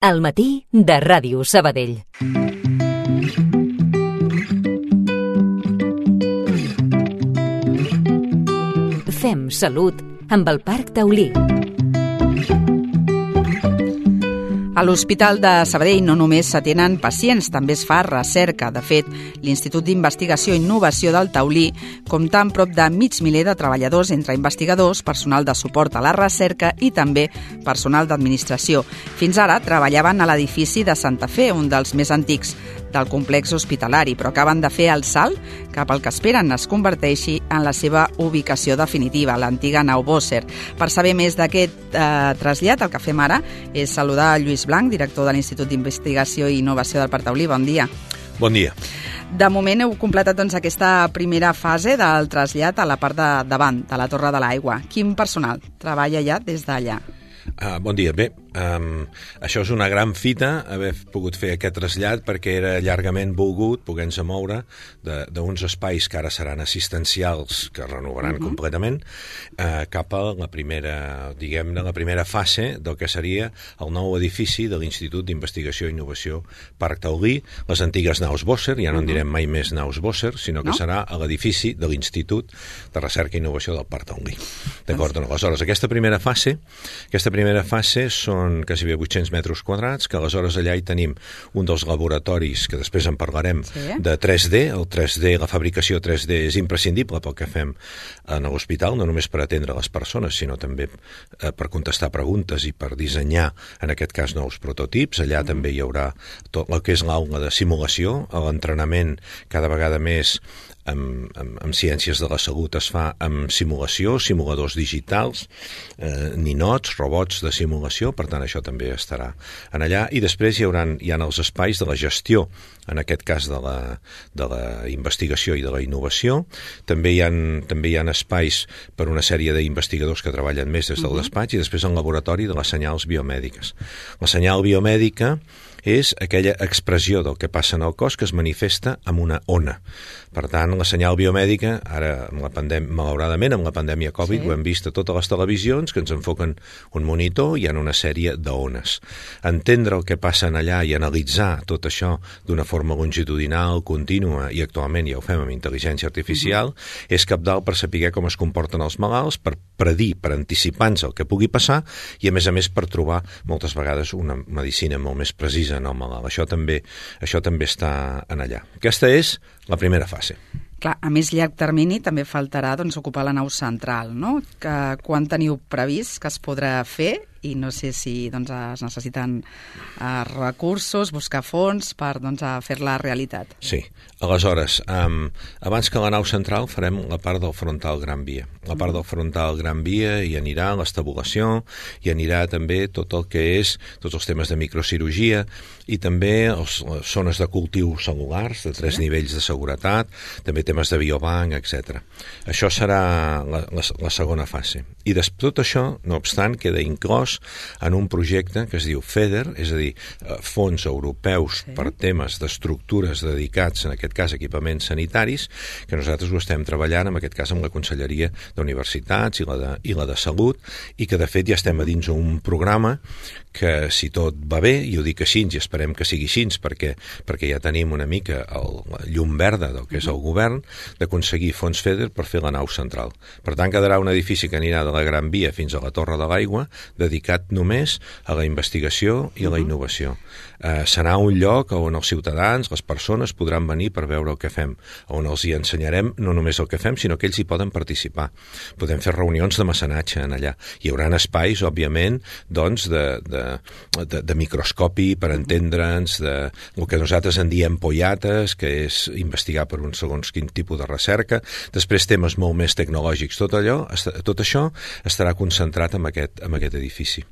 Al matí de Ràdio Sabadell. Fem salut amb el Parc Taulí. A l'Hospital de Sabadell no només s'atenen pacients, també es fa recerca. De fet, l'Institut d'Investigació i Innovació del Taulí compta amb prop de 500.000 de treballadors entre investigadors, personal de suport a la recerca i també personal d'administració. Fins ara treballaven a l'edifici de Santa Fe, un dels més antics del complex hospitalari, però acaben de fer el salt cap al que esperen es converteixi en la seva ubicació definitiva, l'antiga nau Bosser. Per saber més d'aquest trasllat, el que fem ara és saludar a Lluís Blanc, director de l'Institut d'Investigació i Innovació del Parc Taulí. Bon dia. Bon dia. De moment heu completat aquesta primera fase del trasllat a la part de davant de la Torre de l'Aigua. Quin personal treballa ja des d'allà? Bon dia. Bé, això és una gran fita, haver pogut fer aquest trasllat perquè era llargament volgut poder-nos moure d'uns espais que ara seran assistencials, que es renovaran completament, cap a la primera, diguem-ne, la primera fase del que seria el nou edifici de l'Institut d'Investigació i Innovació Parc Taulí, les antigues naus Bosser, ja no en direm mai més naus Bosser, sinó que serà a l'edifici de l'Institut de Recerca i Innovació del Parc Taulí. D'acord? Aleshores, aquesta primera fase són quasi 800 metres quadrats, que aleshores allà hi tenim un dels laboratoris, que després en parlarem, de 3D. El 3D, la fabricació 3D és imprescindible pel que fem en l'hospital, no només per atendre les persones, sinó també per contestar preguntes i per dissenyar, en aquest cas, nous prototips. Allà també hi haurà tot el que és l'aula de simulació, l'entrenament cada vegada més amb ciències de la salut es fa amb simulació, simuladors digitals, ninots, robots de simulació, per tant això també estarà en allà, i després hi ha els espais de la gestió, en aquest cas de la investigació i de la innovació. També hi ha espais per una sèrie d'investigadors que treballen més des del despatx, i després el laboratori de les senyals biomèdiques. La senyal biomèdica és aquella expressió del que passa en el cos que es manifesta amb una ona. Per tant, la senyal biomèdica, ara, malauradament, amb la pandèmia Covid, ho hem vist a totes les televisions, que ens enfoquen un monitor i hi ha una sèrie d'ones. Entendre el que passa allà i analitzar tot això d'una forma longitudinal, contínua, i actualment ja ho fem amb intel·ligència artificial, és cabdal per saber com es comporten els malalts, per predir, per anticipar-nos el que pugui passar, i a més per trobar moltes vegades una medicina molt més precisa en el malalt. Això també està en allà. Aquesta és la primera fase. Clar, a més llarg termini també faltarà ocupar la nau central, no? Quan teniu previst que es podrà fer? I no sé si es necessiten recursos, buscar fons per fer-la realitat. Sí. Aleshores, abans que la nau central farem la part del frontal Gran Via. La part del frontal Gran Via hi anirà l'estabulació, hi anirà també tot el que és tots els temes de microcirurgia i també les zones de cultiu cel·lulars de 3 nivells de seguretat, també temes de biobanc, etc. Això serà la segona fase. I tot això, no obstant, queda inclòs en un projecte que es diu FEDER, és a dir, fons europeus per temes d'estructures dedicats, en aquest cas, equipaments sanitaris, que nosaltres ho estem treballant, en aquest cas, amb la Conselleria d'Universitats i la de Salut, i que, de fet, ja estem a dins un programa que, si tot va bé, i ho dic així, i esperem que sigui així, perquè ja tenim una mica la llum verda del que és el govern, d'aconseguir fons FEDER per fer la nau central. Per tant, quedarà un edifici que anirà de la Gran Via fins a la Torre de l'Aigua, dedicat només a la investigació i a la innovació. Serà un lloc on els ciutadans, les persones, podran venir per veure el que fem, on els hi ensenyarem no només el que fem, sinó que ells hi poden participar. Podem fer reunions de mecenatge en allà. Hi haurà espais, òbviament, de microscopi per entendre'ns, el que nosaltres en diem pollates, que és investigar per un segons quin tipus de recerca. Després temes molt més tecnològics. Tot això estarà concentrat en aquest edifici.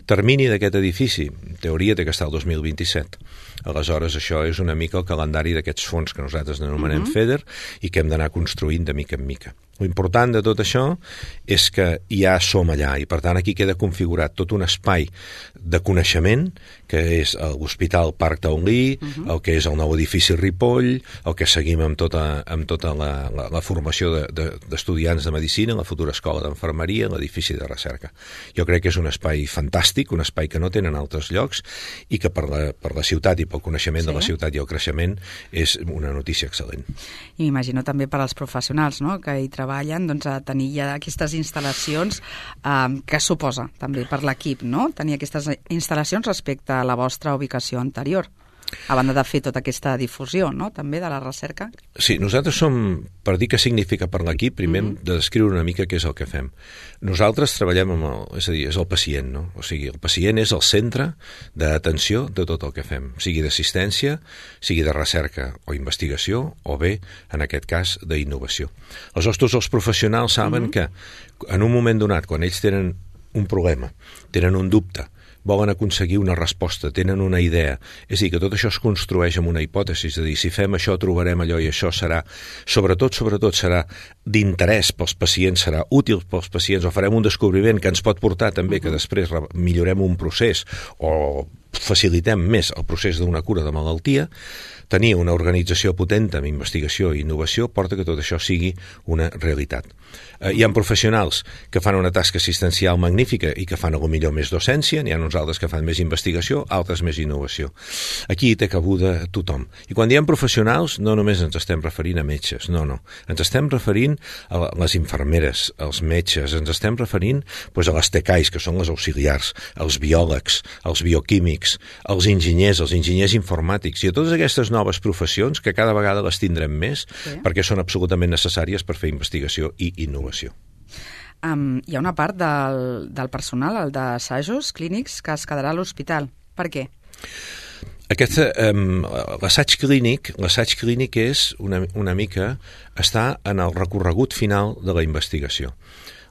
Termini d'aquest edifici, en teoria, té que estar el 2027. Aleshores, això és una mica el calendari d'aquests fons que nosaltres anomenem FEDER i que hem d'anar construint de mica en mica. L'important de tot això és que ja som allà i, per tant, aquí queda configurat tot un espai de coneixement, que és l'Hospital Parc Taulí, el que és el nou edifici Ripoll, el que seguim amb tota la formació d'estudiants de medicina, la futura escola d'enfermeria, l'edifici de recerca. Jo crec que és un espai fantàstic, un espai que no tenen altres llocs i que per la ciutat i pel coneixement de la ciutat i el creixement és una notícia excel·lent. I m'imagino també per als professionals, no?, que hi treballen, doncs, a tenir ja aquestes instal·lacions que suposa també per l'equip, no?, tenir aquestes instal·lacions respecte a la vostra ubicació anterior, a banda de fer tota aquesta difusió, no?, també de la recerca. Sí, nosaltres som, per dir què significa per l'equip, primer hem de descriure una mica què és el que fem. Nosaltres treballem és a dir, és el pacient, no? O sigui, el pacient és el centre d'atenció de tot el que fem, sigui d'assistència, sigui de recerca o investigació, o bé, en aquest cas, d'innovació. Aleshores, tots els professionals saben que en un moment donat, quan ells tenen un problema, tenen un dubte, volen aconseguir una resposta, tenen una idea. És a dir, que tot això es construeix amb una hipòtesi, és a dir, si fem això trobarem allò i això serà, sobretot serà d'interès pels pacients, serà útil pels pacients, o farem un descobriment que ens pot portar també que després millorem un procés o facilitem més el procés d'una cura de malaltia. Tenir una organització potent amb investigació i innovació porta que tot això sigui una realitat. Hi ha professionals que fan una tasca assistencial magnífica i que fan millor més docència, n'hi ha uns altres que fan més investigació, altres més innovació. Aquí hi té cabuda tothom. I quan diem professionals, no només ens estem referint a metges, no. Ens estem referint a les infermeres, als metges, ens estem referint a les TECAIs, que són les auxiliars, als biòlegs, als bioquímics, als enginyers informàtics, i a totes aquestes noves professions que cada vegada les tindrem més perquè són absolutament necessàries per fer investigació i innovació. Hi ha una part del personal, el d'assajos clínics, que es quedarà a l'hospital. Per què? L'assaig clínic és una mica està en el recorregut final de la investigació.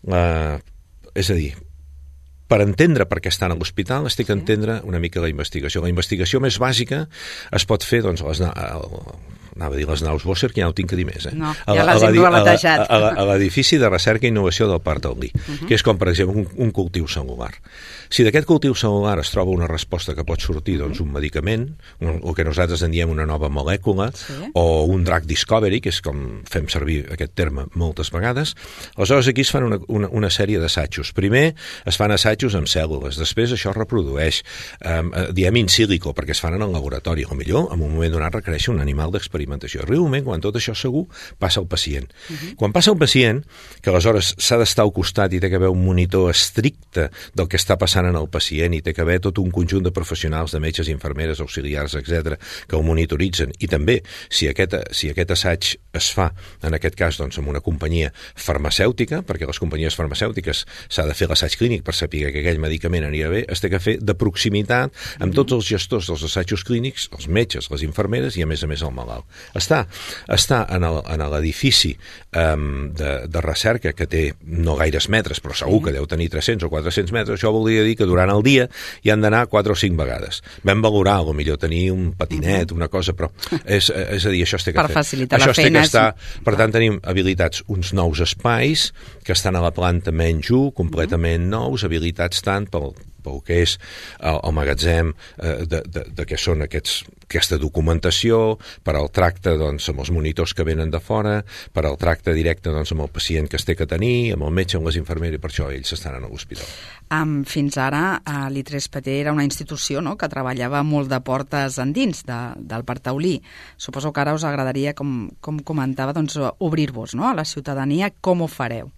És a dir, per entendre per què estan a l'hospital, es té que entendre una mica la investigació. La investigació més bàsica es pot fer, doncs, anava a dir les naus Bosser, que ja no tinc que dir més. No, ja les hem rebatejat. A l'edifici de recerca i innovació del Parc Taulí, que és com, per exemple, un cultiu cel·lular. Si d'aquest cultiu cel·lular es troba una resposta que pot sortir, doncs, un medicament, o que nosaltres en diem una nova molècula, o un drug discovery, que és com fem servir aquest terme moltes vegades, aleshores aquí es fan una sèrie d'assajos. Primer es fan assajos amb cèl·lules, després això es reprodueix, diem in silico, perquè es fan en el laboratori. O millor, en un moment donat requereix un animal d'experimentació. Arriba un moment, quan tot això segur, passa al pacient. Quan passa al pacient, que aleshores s'ha d'estar al costat i té que haver un monitor estricte del que està passant en el pacient i té que haver tot un conjunt de professionals, de metges, infermeres, auxiliars, etc., que ho monitoritzen. I també, si aquest assaig es fa, en aquest cas, doncs, amb una companyia farmacèutica, perquè les companyies farmacèutiques s'ha de fer l'assaig clínic per saber que aquell medicament anirà bé, es té que fer de proximitat amb tots els gestors dels assajos clínics, els metges, les infermeres i, a més el malalt. Està en l'edifici de recerca, que té no gaires metres, però segur que deu tenir 300 o 400 metres. Això voldria dir que durant el dia hi han d'anar 4 o 5 vegades. Vam valorar, potser tenir un patinet, una cosa, però és a dir, això es té que fer. Per facilitar la feina. Per tant, tenim habilitats uns nous espais que estan a la planta menys 1, completament nous, habilitats tant pel que és el magatzem de què són aquesta documentació, per al tracte, doncs, amb els monitors que venen de fora, per al tracte directe, doncs, amb el pacient que es té que tenir, amb el metge, amb les infermeres, i per això ells estan a l'hospital. Fins ara, l'I3 PT era una institució, no?, que treballava molt de portes endins del Parc Taulí. Suposo que ara us agradaria, com comentava, doncs, obrir-vos, no?, a la ciutadania. Com ho fareu?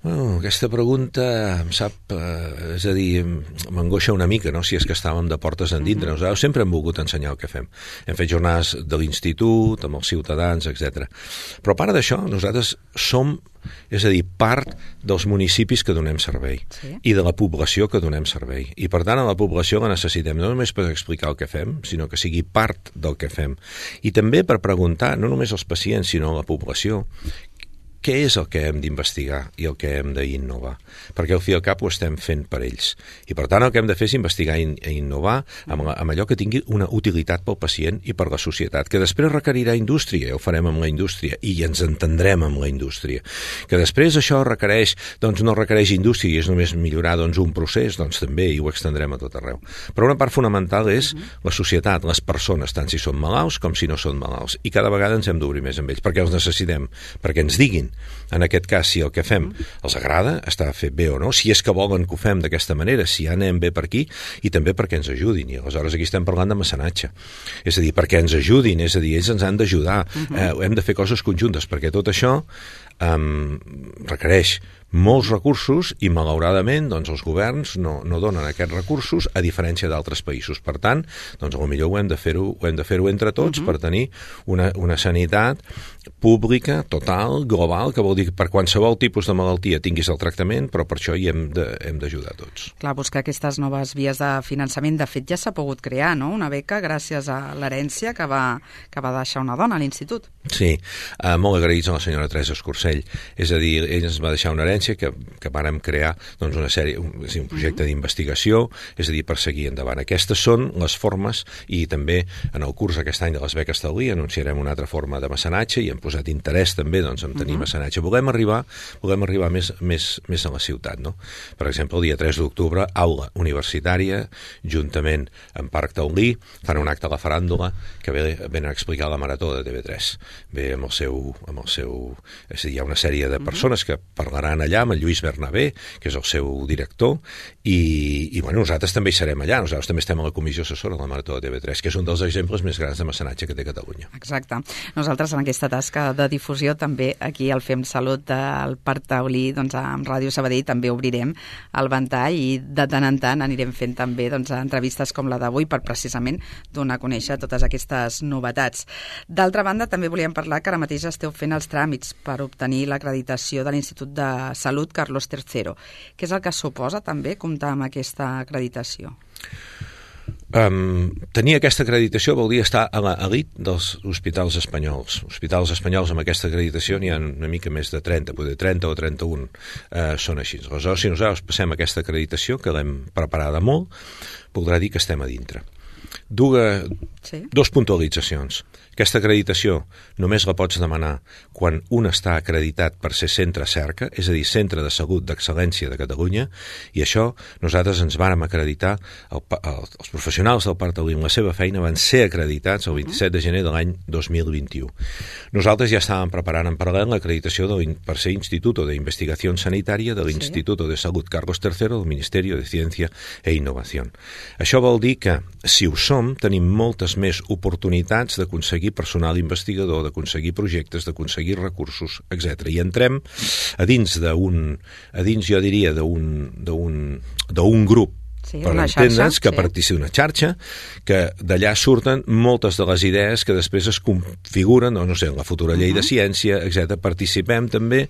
Aquesta pregunta em sap, és a dir, m'angoixa una mica, no?, si és que estàvem de portes endintre. Nosaltres sempre hem volgut ensenyar el que fem. Hem fet jornades de l'institut, amb els ciutadans, etc. Però a part d'això, nosaltres som, és a dir, part dels municipis que donem servei i de la població que donem servei. I per tant, a la població la necessitem no només per explicar el que fem, sinó que sigui part del que fem. I també per preguntar, no només als pacients, sinó a la població, què és el que hem d'investigar i el que hem d'innovar? Perquè al fi i al cap ho estem fent per ells. I per tant el que hem de fer és investigar i innovar amb allò que tingui una utilitat pel pacient i per la societat, que després requerirà indústria, ja ho farem amb la indústria i ens entendrem amb la indústria. Que després això requereix, doncs no requereix indústria i és només millorar un procés, doncs també i ho extendrem a tot arreu. Però una part fonamental és la societat, les persones, tant si són malalts com si no són malalts. I cada vegada ens hem d'obrir més amb ells, perquè els necessitem, perquè ens diguin, en aquest cas, si el que fem els agrada, està fet bé o no, si és que volen que ho fem d'aquesta manera, si ja anem bé per aquí, i també perquè ens ajudin. I aleshores aquí estem parlant de mecenatge. És a dir, perquè ens ajudin, és a dir, ells ens han d'ajudar, hem de fer coses conjuntes, perquè tot això requereix molts recursos i malauradament doncs, els governs no donen aquests recursos a diferència d'altres països. Per tant, doncs, potser ho hem de fer-ho entre tots per tenir una sanitat pública, total, global, que vol dir que per qualsevol tipus de malaltia tinguis el tractament, però per això hi hem d'ajudar tots. Clar, buscar aquestes noves vies de finançament, de fet ja s'ha pogut crear, no? Una beca gràcies a l'herència que va deixar una dona a l'institut. Sí, molt agraïts a la senyora Teresa Escorcell. És a dir, ella ens va deixar una herència que vàrem crear doncs, una sèrie, un projecte d'investigació, és a dir, per seguir endavant. Aquestes són les formes i també en el curs aquest any de les beques Taulí anunciarem una altra forma de mecenatge i hem posat interès també doncs, en tenir mecenatge. Volem arribar més a la ciutat. No? Per exemple, el dia 3 d'octubre, aula universitària, juntament amb Parc Taulí, fan un acte a la faràndula que venen a explicar la marató de TV3. Ve amb el seu és a dir, hi ha una sèrie de persones que parlaran allà amb el Lluís Bernabé, que és el seu director, i bueno, nosaltres també hi serem allà, nosaltres també estem a la comissió assessora de la Marató de TV3, que és un dels exemples més grans de mecenatge que té Catalunya. Exacte. Nosaltres en aquesta tasca de difusió també aquí al Fem Salut del Parc Taulí, doncs amb Ràdio Sabadell també obrirem el ventall i de tant en tant anirem fent també doncs, entrevistes com la d'avui per precisament donar a conèixer totes aquestes novetats. D'altra banda, també volíem parlar que ara mateix esteu fent els tràmits per obtenir l'acreditació de l'Institut de Salut Carlos III. Què és el que suposa també comptar amb aquesta acreditació? Tenir aquesta acreditació vol dir estar a l'elit dels hospitals espanyols. Hospitals espanyols amb aquesta acreditació n'hi ha una mica més de 30, potser 30 o 31 són així. Aleshores, si nosaltres passem aquesta acreditació, que l'hem preparada molt, voldrà dir que estem a dintre. Dos puntualitzacions. Aquesta acreditació només la pots demanar quan un està acreditat per ser centre cerca, és a dir, centre de salut d'excel·lència de Catalunya, i això nosaltres ens vàrem acreditar, els professionals del Parc Taulí amb la seva feina van ser acreditats el 27 de gener de l'any 2021. Nosaltres ja estàvem preparant en paral·lel l'acreditació per ser Instituto de Investigación Sanitaria de l'Instituto de Salut Carlos III del Ministeri de Ciència e Innovació. Això vol dir que, si ho som, tenim moltes més oportunitats d'aconseguir personal investigador, d'aconseguir projectes, d'aconseguir recursos, etc. I entrem a dins jo diria, d'un grup, per entendre'ns, que participa una xarxa, que d'allà surten moltes de les idees que després es configuren, no sé, en la futura llei de ciència, etc. Participem també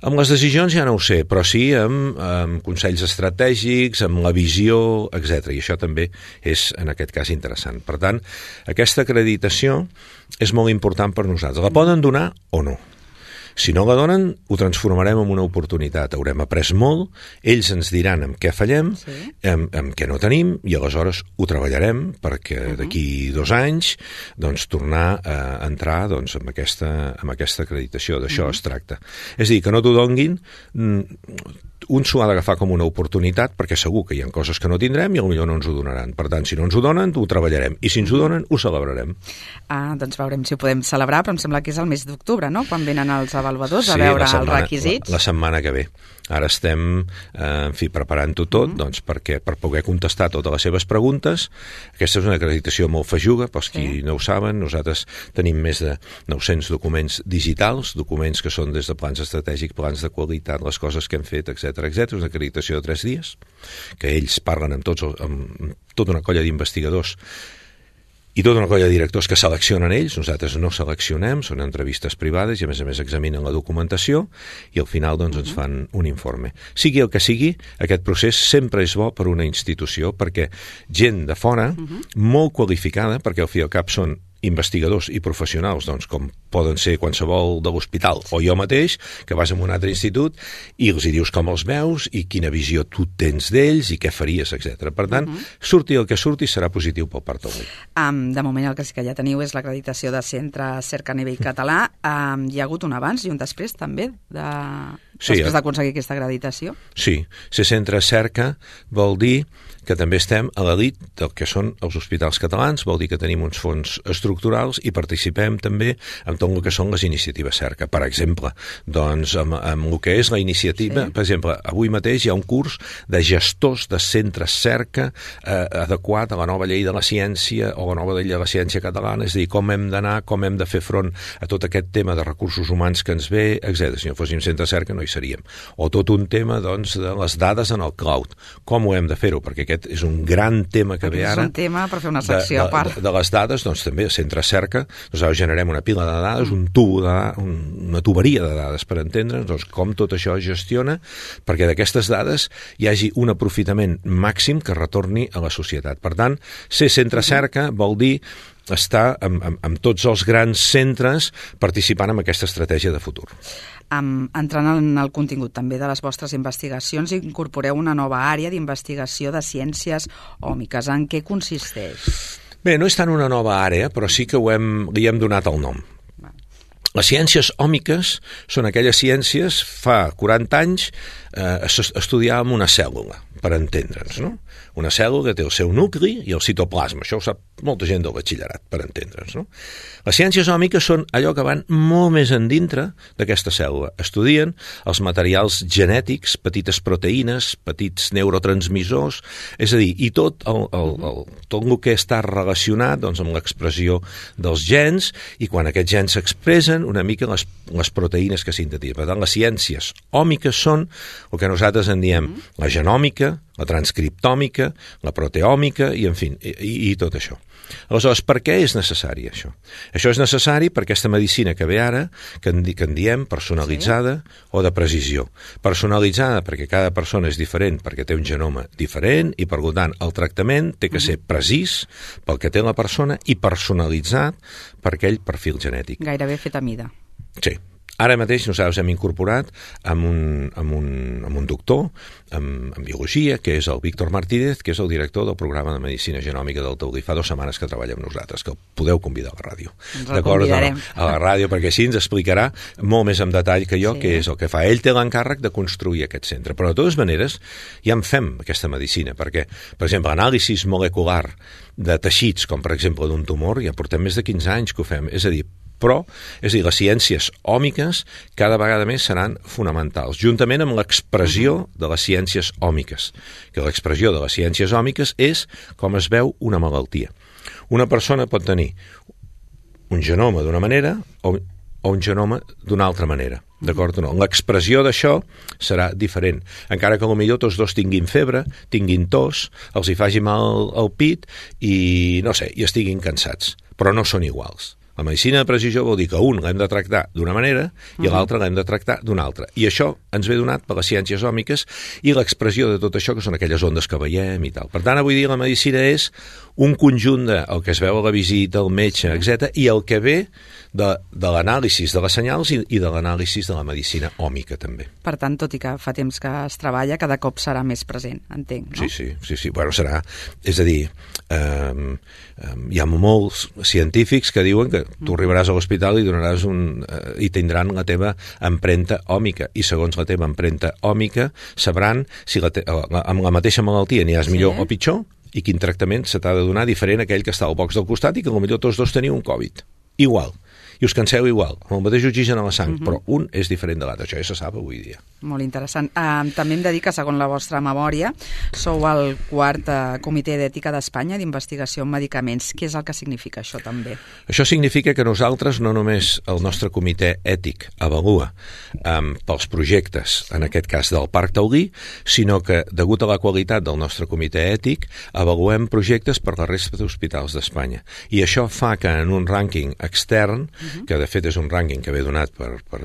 amb les decisions, ja no ho sé, però sí amb consells estratègics, amb la visió, etc. I això també és, en aquest cas, interessant. Per tant, aquesta acreditació és molt important per nosaltres. La poden donar o no. Si no la donen, ho transformarem en una oportunitat. Haurem après molt, ells ens diran en què fallem, en què no tenim, i aleshores ho treballarem perquè d'aquí 2 anys doncs, tornar a entrar doncs, amb aquesta acreditació. D'això es tracta. És a dir, que no t'ho donguin, un s'ho ha d'agafar com una oportunitat perquè segur que hi ha coses que no tindrem i potser no ens ho donaran. Per tant, si no ens ho donen, ho treballarem. I si ens ho donen, ho celebrarem. Doncs veurem si ho podem celebrar, però em sembla que és el mes d'octubre, no?, quan venen els avaluadors a veure els requisits. La setmana que ve. Ara estem preparant-ho tot doncs, per poder contestar totes les seves preguntes. Aquesta és una acreditació molt feixuga, pels qui no ho saben. Nosaltres tenim més de 900 documents digitals, documents que són des de plans estratègics, plans de qualitat, les coses que hem fet, etc. És una acreditació de 3 dies, que ells parlen amb tota una colla d'investigadors i tota una colla de directors que seleccionen ells. Nosaltres no seleccionem, són entrevistes privades i a més examinen la documentació i al final doncs, ens fan un informe. Sigui el que sigui, aquest procés sempre és bo per una institució perquè gent de fora, molt qualificada, perquè al fi i al cap són investigadors i professionals, doncs, com poden ser qualsevol de l'hospital o jo mateix, que vas a un altre institut i els hi dius com els veus i quina visió tu tens d'ells i què faries, etc. Per tant, surti el que surti serà positiu pel Parc Taulí. De moment el que sí que ja teniu és l'acreditació de centre cerca a nivell català. Hi ha hagut un abans i un després també després d'aconseguir aquesta acreditació? Sí, ser centre cerca vol dir que també estem a l'elit del que són els hospitals catalans, vol dir que tenim uns fons estructurals i participem també en tot el que són les iniciatives cerca. Per exemple, doncs, amb el que és la iniciativa, per exemple, avui mateix hi ha un curs de gestors de centres cerca adequat a la nova llei de la ciència o la nova llei de la ciència catalana, és a dir, com hem d'anar, com hem de fer front a tot aquest tema de recursos humans que ens ve, etc. Si no fóssim centre cerca no hi seríem. O tot un tema, doncs, de les dades en el cloud. Com ho hem de fer-ho? Perquè aquest és un gran tema que ve ara. És un tema per fer una secció a part. De les dades, doncs també a centre cerca, nosaltres generem una pila de dades, un tubo una tuberia de dades per entendre'ns, doncs com tot això es gestiona perquè d'aquestes dades hi hagi un aprofitament màxim que retorni a la societat. Per tant, ser centre cerca vol dir estar amb tots els grans centres participant en aquesta estratègia de futur. Entrant en el contingut també de les vostres investigacions, incorporeu una nova àrea d'investigació de ciències òmiques. En què consisteix? Bé, no és tant una nova àrea, però sí que li hem donat el nom. Les ciències òmiques són aquelles ciències, fa 40 anys estudiàvem una cèl·lula, per entendre'ns, no? Una cèl·lula que té el seu nucli i el citoplasma, això ho sap molta gent del batxillerat, per entendre'ns, no? Les ciències òmiques són allò que van molt més endintre d'aquesta cèl·lula. Estudien els materials genètics, petites proteïnes, petits neurotransmissors, és a dir, i tot el que està relacionat doncs, amb l'expressió dels gens, i quan aquests gens s'expressen, una mica les proteïnes que sintetitzen. Per tant, les ciències òmiques són el que nosaltres en diem la genòmica, la transcriptòmica, la proteòmica i, en fi, i tot això. Aleshores, per què és necessari això? Això és necessari per aquesta medicina que ve ara, que en diem personalitzada o de precisió. Personalitzada perquè cada persona és diferent, perquè té un genoma diferent i, per tant, el tractament té que ser precís pel que té la persona i personalitzat per aquell perfil genètic. Gairebé fet a mida. Sí. Ara mateix nosaltres hem incorporat amb un doctor en biologia, que és el Víctor Martínez, que és el director del programa de Medicina Genòmica del Taulí. Fa 2 setmanes que treballa amb nosaltres, que el podeu convidar a la ràdio. Ens el convidarem. A la ràdio, perquè així ens explicarà molt més en detall que jo què és el que fa. Ell té l'encàrrec de construir aquest centre. Però de totes maneres ja en fem aquesta medicina, perquè, per exemple, anàlisis molecular de teixits, com per exemple d'un tumor, ja portem més de 15 anys que ho fem. És a dir, les ciències òmiques cada vegada més seran fonamentals, juntament amb l'expressió de les ciències òmiques, que l'expressió de les ciències òmiques és com es veu una malaltia. Una persona pot tenir un genoma d'una manera o un genoma d'una altra manera, d'acord o no? L'expressió d'això serà diferent, encara que potser tots dos tinguin febre, tinguin tos, els hi faci mal al pit i, no sé, i estiguin cansats, però no són iguals. La medicina de precisió vol dir que un l'hem de tractar d'una manera i l'altre l'hem de tractar d'una altra. I això ens ve donat per les ciències òmiques i l'expressió de tot això, que són aquelles ondes que veiem i tal. Per tant, avui dia la medicina és un conjunt del que es veu a la visita, el metge, etc. i el que ve de l'anàlisi de les senyals i de l'anàlisi de la medicina òmica, també. Per tant, tot i que fa temps que es treballa, cada cop serà més present, entenc, no? Sí. Bueno, serà... És a dir, hi ha molts científics que diuen que tu arribaràs a l'hospital i tindran la teva empremta òmica, i segons la teva empremta òmica sabran si amb la mateixa malaltia n'hi has millor o pitjor i quin tractament se t'ha de donar diferent a aquell que està al box del costat i que potser tots dos teniu un Covid. Igual. I us canseu igual, amb el mateix oxigen a la sang, però un és diferent de l'altre. Això ja se sap avui dia. Molt interessant. També hem de dir que, segons la vostra memòria, sou el 4è Comitè d'Ètica d'Espanya d'investigació en medicaments. Què és el que significa això, també? Això significa que nosaltres, no només el nostre comitè ètic avalua pels projectes, en aquest cas del Parc Taulí, sinó que, degut a la qualitat del nostre comitè ètic, avaluem projectes per la resta d'hospitals d'Espanya. I això fa que en un rànquing extern, que de fet és un rànquing que ve donat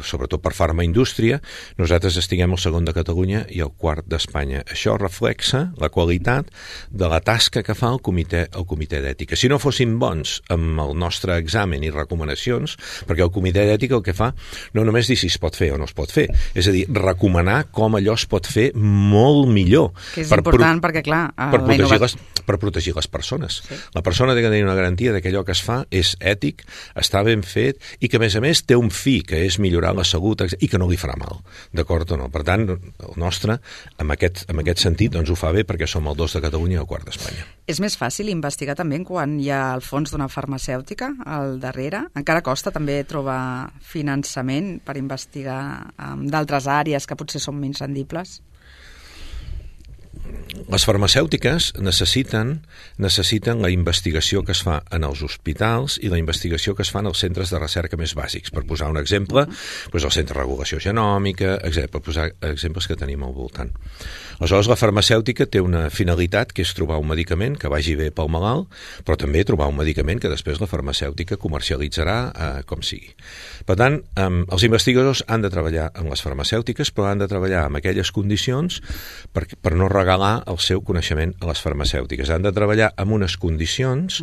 sobretot per farmaindústria, nosaltres estiguem al segon de Catalunya i al quart d'Espanya. Això reflexa la qualitat de la tasca que fa el comitè d'ètica. Si no fóssim bons amb el nostre examen i recomanacions, perquè el comitè d'ètica el que fa no només dir si es pot fer o no es pot fer, és a dir, recomanar com allò es pot fer molt millor. Que és important perquè, clar, per protegir les persones. Sí. La persona té que tenir una garantia que allò que es fa és ètic, està ben fet i que, a més, té un fi, que és millorar la salut i que no li farà mal. D'acord o no? Per tant, el nostre, en aquest sentit, doncs ho fa bé perquè som el 2 de Catalunya i el 4 d'Espanya. És més fàcil investigar també quan hi ha el fons d'una farmacèutica al darrere? Encara costa també trobar finançament per investigar d'altres àrees que potser són menys rendibles? Les farmacèutiques necessiten la investigació que es fa en els hospitals i la investigació que es fa en els centres de recerca més bàsics. Per posar un exemple, el Centre de Regulació Genòmica, per posar exemples que tenim al voltant. Aleshores, la farmacèutica té una finalitat que és trobar un medicament que vagi bé pel malalt, però també trobar un medicament que després la farmacèutica comercialitzarà com sigui. Per tant, els investigadors han de treballar amb les farmacèutiques, però han de treballar amb aquelles condicions per no regalar el seu coneixement a les farmacèutiques. Han de treballar amb unes condicions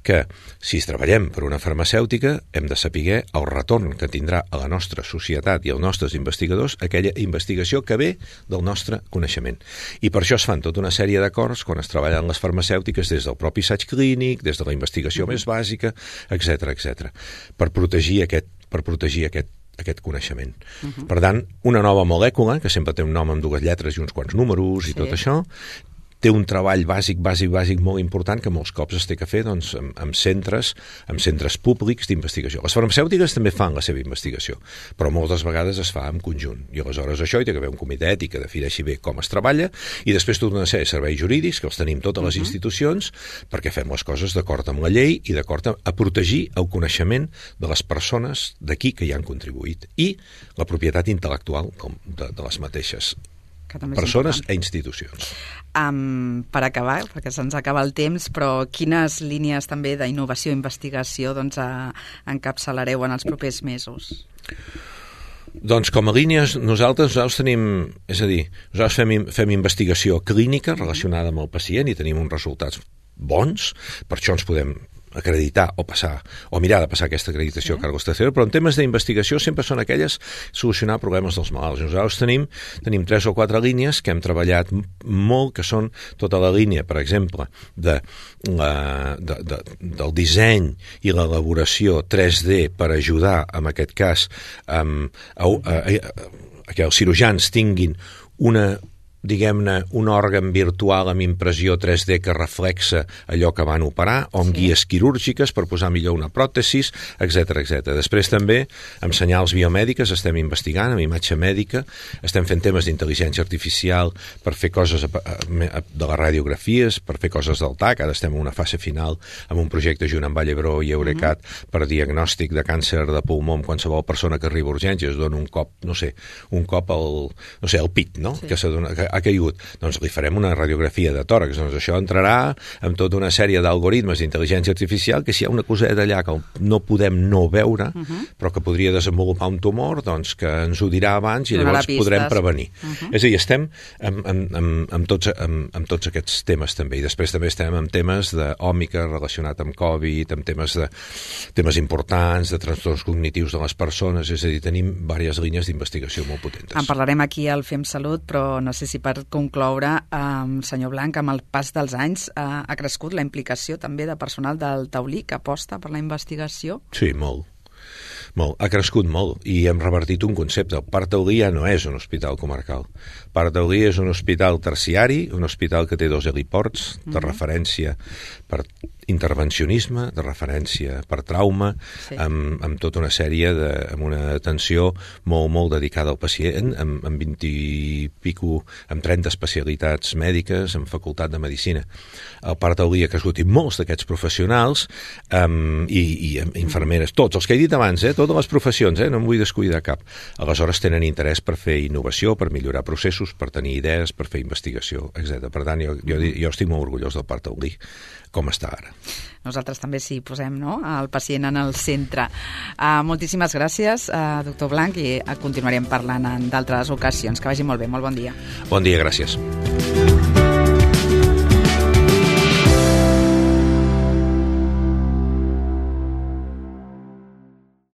que, si treballem per una farmacèutica, hem de saber el retorn que tindrà a la nostra societat i als nostres investigadors aquella investigació que ve del nostre coneixement. I per això es fan tota una sèrie d'acords quan es treballen les farmacèutiques des del propi assaig clínic, des de la investigació més bàsica, etc., per protegir aquest coneixement. Per tant, una nova molècula, que sempre té un nom amb 2 lletres i uns quants números i tot això, té un treball bàsic molt important que molts cops es té que fer amb centres públics d'investigació. Les farmacèutiques també fan la seva investigació, però moltes vegades es fa en conjunt. I aleshores això hi ha que haver un comitè ètic que defineixi bé com es treballa i després tota una sèrie de serveis jurídics que els tenim totes les institucions perquè fem les coses d'acord amb la llei i d'acord a protegir el coneixement de les persones d'aquí que hi han contribuït i la propietat intel·lectual de les mateixes persones i institucions. Per acabar, perquè se'ns acaba el temps, però quines línies també d'innovació i investigació encapçalareu en els propers mesos? Doncs com a línies nosaltres tenim, és a dir, nosaltres fem investigació clínica relacionada amb el pacient i tenim uns resultats bons, per això ens podem acreditar o mirar de passar aquesta acreditació a Carlos III, però en temes d'investigació sempre són aquelles solucionar problemes dels malalts. Nosaltres tenim 3 o 4 línies que hem treballat molt, que són tota la línia, per exemple, del disseny i l'elaboració 3D per ajudar, en aquest cas, que els cirurgians tinguin un òrgan virtual amb impressió 3D que reflexa allò que van operar, o amb guies quirúrgiques per posar millor una pròtesis, etc. Després també, amb senyals biomèdiques, estem investigant, amb imatge mèdica, estem fent temes d'intel·ligència artificial per fer coses de les radiografies, per fer coses del TAC, ara estem en una fase final amb un projecte junt amb Vallebró i Eurecat per diagnòstic de càncer de pulmó amb qualsevol persona que arriba a urgències, dona un cop al pit, no? Que ha caigut, doncs li farem una radiografia de tòrax, doncs això entrarà amb tota una sèrie d'algoritmes d'intel·ligència artificial que si hi ha una coseta allà que no podem no veure, però que podria desenvolupar un tumor, doncs que ens ho dirà abans i llavors podrem prevenir. És a dir, estem amb tots aquests temes també, i després també estem amb temes d'òmica relacionat amb Covid, amb temes importants, de trastorns cognitius de les persones, és a dir, tenim diverses línies d'investigació molt potentes. En parlarem aquí al Fem Salut, però no sé si per concloure, senyor Blanch, amb el pas dels anys ha crescut la implicació també de personal del Taulí que aposta per la investigació? Sí, molt. Ha crescut molt i hem revertit un concepte. El Parc Taulí ja no és un hospital comarcal. El Parc Taulí és un hospital terciari, un hospital que té 2 heliports de referència per intervencionisme, de referència per trauma, amb tota una sèrie amb una atenció molt dedicada al pacient, amb 20 i pico, amb 30 especialitats mèdiques, amb facultat de medicina. El Parc Taulí ha crescut i molts d'aquests professionals i infermeres, tots els que he dit abans, totes les professions, no em vull descuidar cap. Aleshores tenen interès per fer innovació, per millorar processos, per tenir idees, per fer investigació, etc. Per tant, jo estic molt orgullós del Parc Taulí, com està ara. nosaltres també sí posem, no?, el pacient en el centre. Moltíssimes gràcies, doctor Blanch, i continuarem parlant en d'altres ocasions. Que vagi molt bé, molt bon dia. Bon dia, gràcies.